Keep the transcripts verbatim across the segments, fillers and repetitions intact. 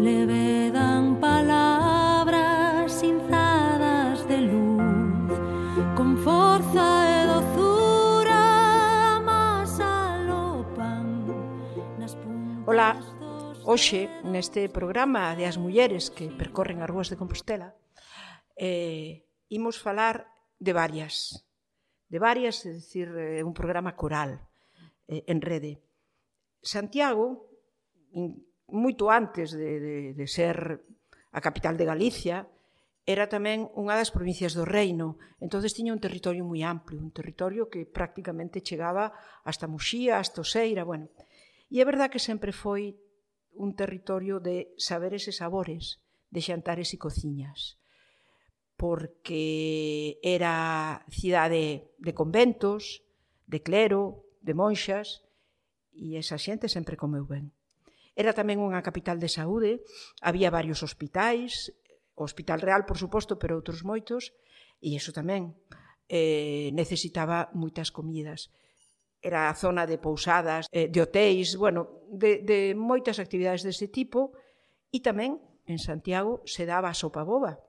le vedan palabras cinzadas de luz, con forza e dozura amásalo pan nas puntas. Ola, hoxe neste programa de as mulleres que percorren as rúas de Compostela eh, imos falar de varias, de varias, é dicir, é un programa coral eh, en rede. Santiago, moito antes de, de, de ser a capital de Galicia, era tamén unha das provincias do reino, entonces tiña un territorio moi amplio, un territorio que prácticamente chegaba hasta Muxía, hasta Oseira, bueno. E é verdad que sempre foi un territorio de saberes e sabores, de xantares e cociñas, porque era cidade de conventos, de clero, de monxas, e esa xente sempre comeu ben. Era tamén unha capital de saúde, había varios hospitais, o Hospital Real, por suposto, pero outros moitos, e iso tamén eh, necesitaba moitas comidas. Era a zona de pousadas, eh, de hotéis, bueno, de, de moitas actividades deste tipo, e tamén en Santiago se daba a sopa boba.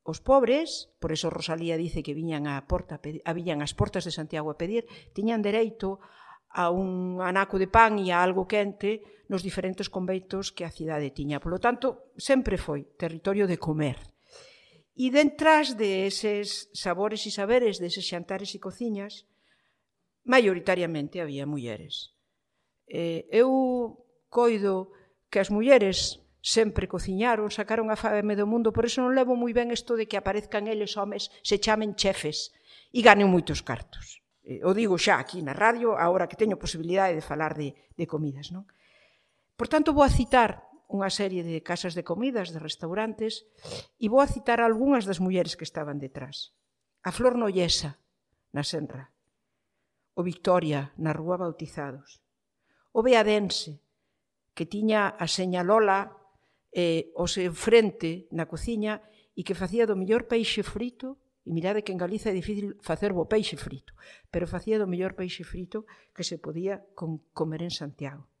Os pobres, por eso Rosalía dice que viñan a porta, a viñan ás portas de Santiago a pedir, tiñan dereito a un anaco de pan e a algo quente nos diferentes conventos que a cidade tiña. Por lo tanto, sempre foi territorio de comer. E dentras de eses sabores e saberes, deses xantares e cociñas, maioritariamente había mulleres. Eh, eu coido que as mulleres sempre cociñaron, sacaron a fame do mundo, por iso non levo moi ben isto de que aparezcan eles homes, se chamen chefes e ganen moitos cartos. Eh, o digo xa aquí na radio, agora que teño posibilidade de falar de, de comidas, non? Por tanto, vou a citar unha serie de casas de comidas, de restaurantes, e vou a citar algunhas das mulleres que estaban detrás. A Flor Nollesa, na Senra. O Victoria, na Rúa Bautizados. O Beadense, que tiña a seña Lola eh, o seu frente na cociña e que facía do mellor peixe frito, e mirade que en Galiza é difícil facer bo peixe frito, pero facía do mellor peixe frito que se podía con comer en Santiago.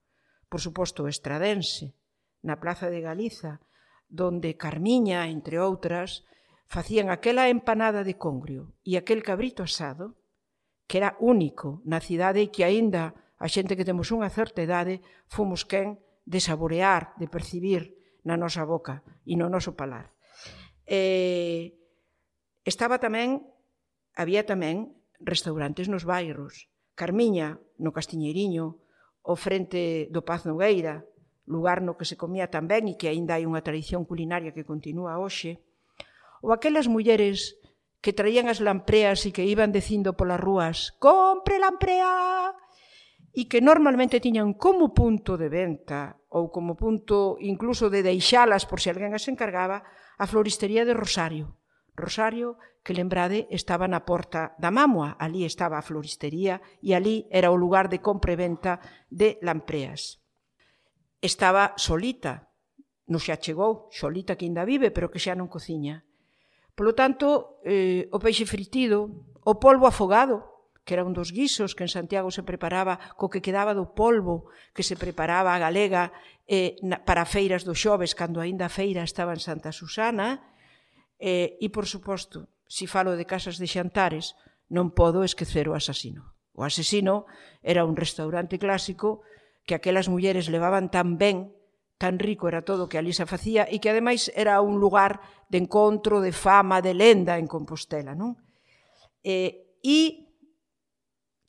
Por suposto, o Estradense, na Plaza de Galiza, donde Carmiña, entre outras, facían aquela empanada de congrio e aquel cabrito asado, que era único na cidade e que aínda a xente que temos unha certa idade fomos quen de saborear, de percibir na nosa boca e no noso palar. Eh, estaba tamén, había tamén restaurantes nos bairros. Carmiña, no Castiñeiriño, o frente do Paz Nogueira, lugar no que se comía tan ben e que aínda hai unha tradición culinaria que continúa hoxe. Ou aquelas mulleres que traían as lampreas e que iban dicindo polas rúas «Compre lamprea!» e que normalmente tiñan como punto de venta ou como punto incluso de deixalas por se alguén as encargaba a floristería de Rosario. Rosario, que lembrade, estaba na porta da Mámoa, ali estaba a floristería e ali era o lugar de compra e venta de lampreas. Estaba Solita, non xa chegou, Solita que ainda vive, pero que xa non cociña. Por lo tanto, eh, o peixe fritido, o polvo afogado, que era un dos guisos que en Santiago se preparaba co que quedaba do polvo que se preparaba a galega eh, na, para feiras do xoves, cando aínda a feira estaba en Santa Susana. Eh, e, por suposto, se falo de casas de xantares, non podo esquecer o Asesino. O Asesino era un restaurante clásico que aquelas mulleres levaban tan ben, tan rico era todo que ali se facía, e que ademais era un lugar de encontro, de fama, de lenda en Compostela, non? Eh, e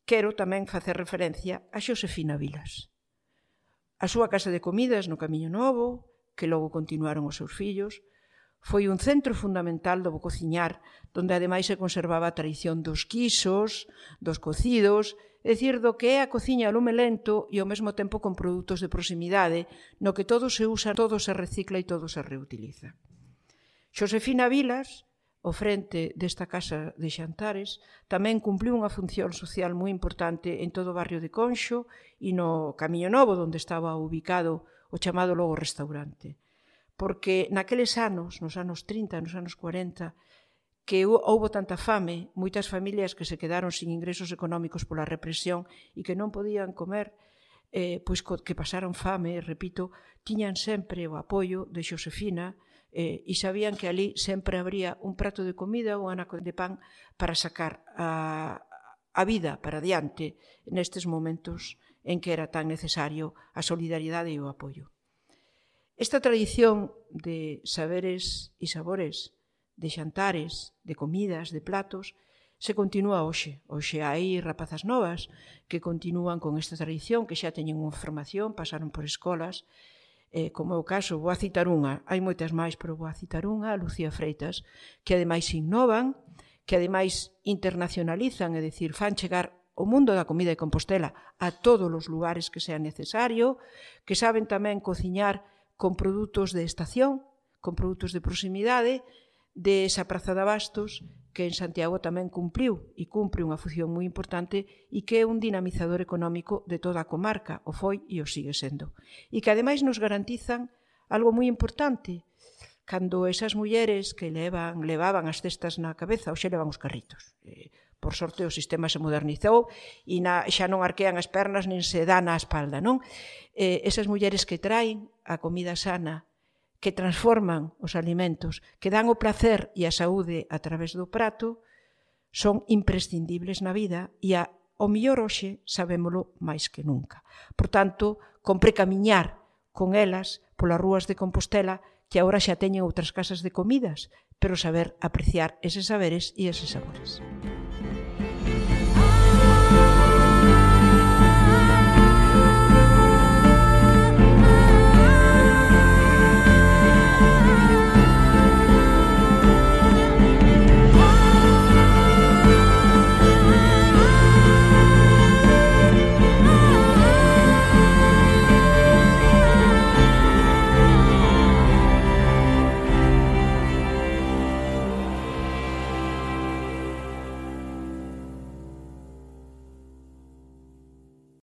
quero tamén facer referencia a Xosefina Vilas. A súa casa de comidas no Camiño Novo, que logo continuaron os seus fillos, foi un centro fundamental do bo cociñar, donde ademais se conservaba a tradición dos quisos, dos cocidos, é dicir, do que é a cociña a lume lento e ao mesmo tempo con produtos de proximidade, no que todo se usa, todo se recicla e todo se reutiliza. Xosefina Vilas, ao frente desta casa de xantares, tamén cumpliu unha función social moi importante en todo o barrio de Conxo e no Camiño Novo, onde estaba ubicado o chamado logo restaurante. Porque naqueles anos, nos anos trinta, nos anos cuarenta, que houbo tanta fame, moitas familias que se quedaron sin ingresos económicos pola represión e que non podían comer, eh, pois que pasaron fame, repito, tiñan sempre o apoio de Xosefina eh, e sabían que ali sempre habría un prato de comida ou un anaco de pan para sacar a, a vida para diante nestes momentos en que era tan necesario a solidariedade e o apoio. Esta tradición de saberes e sabores, de xantares, de comidas, de platos, se continúa hoxe. Hoxe hai rapazas novas que continúan con esta tradición, que xa teñen unha formación, pasaron por escolas, eh, como é o caso, vou a citar unha, hai moitas máis, pero vou a citar unha, a Lucía Freitas, que ademais innovan, que ademais internacionalizan, é dicir, fan chegar o mundo da comida de Compostela a todos os lugares que sea necesario, que saben tamén cociñar con produtos de estación, con produtos de proximidade, de esa praza de abastos que en Santiago tamén cumpriu e cumpre unha función moi importante e que é un dinamizador económico de toda a comarca, o foi e o sigue sendo. E que ademais nos garantizan algo moi importante, cando esas mulleres que levan, levaban as cestas na cabeza, hoxe levan os carritos. Eh, por sorte o sistema se modernizou e na, xa non arquean as pernas nin se dan a espalda, non? Eh, esas mulleres que traen a comida sana, que transforman os alimentos, que dan o placer e a saúde a través do prato, son imprescindibles na vida e a, o mellor hoxe sabémolo máis que nunca. Por tanto, compre camiñar con elas polas rúas de Compostela, que agora xa teñen outras casas de comidas, pero saber apreciar eses saberes e eses sabores.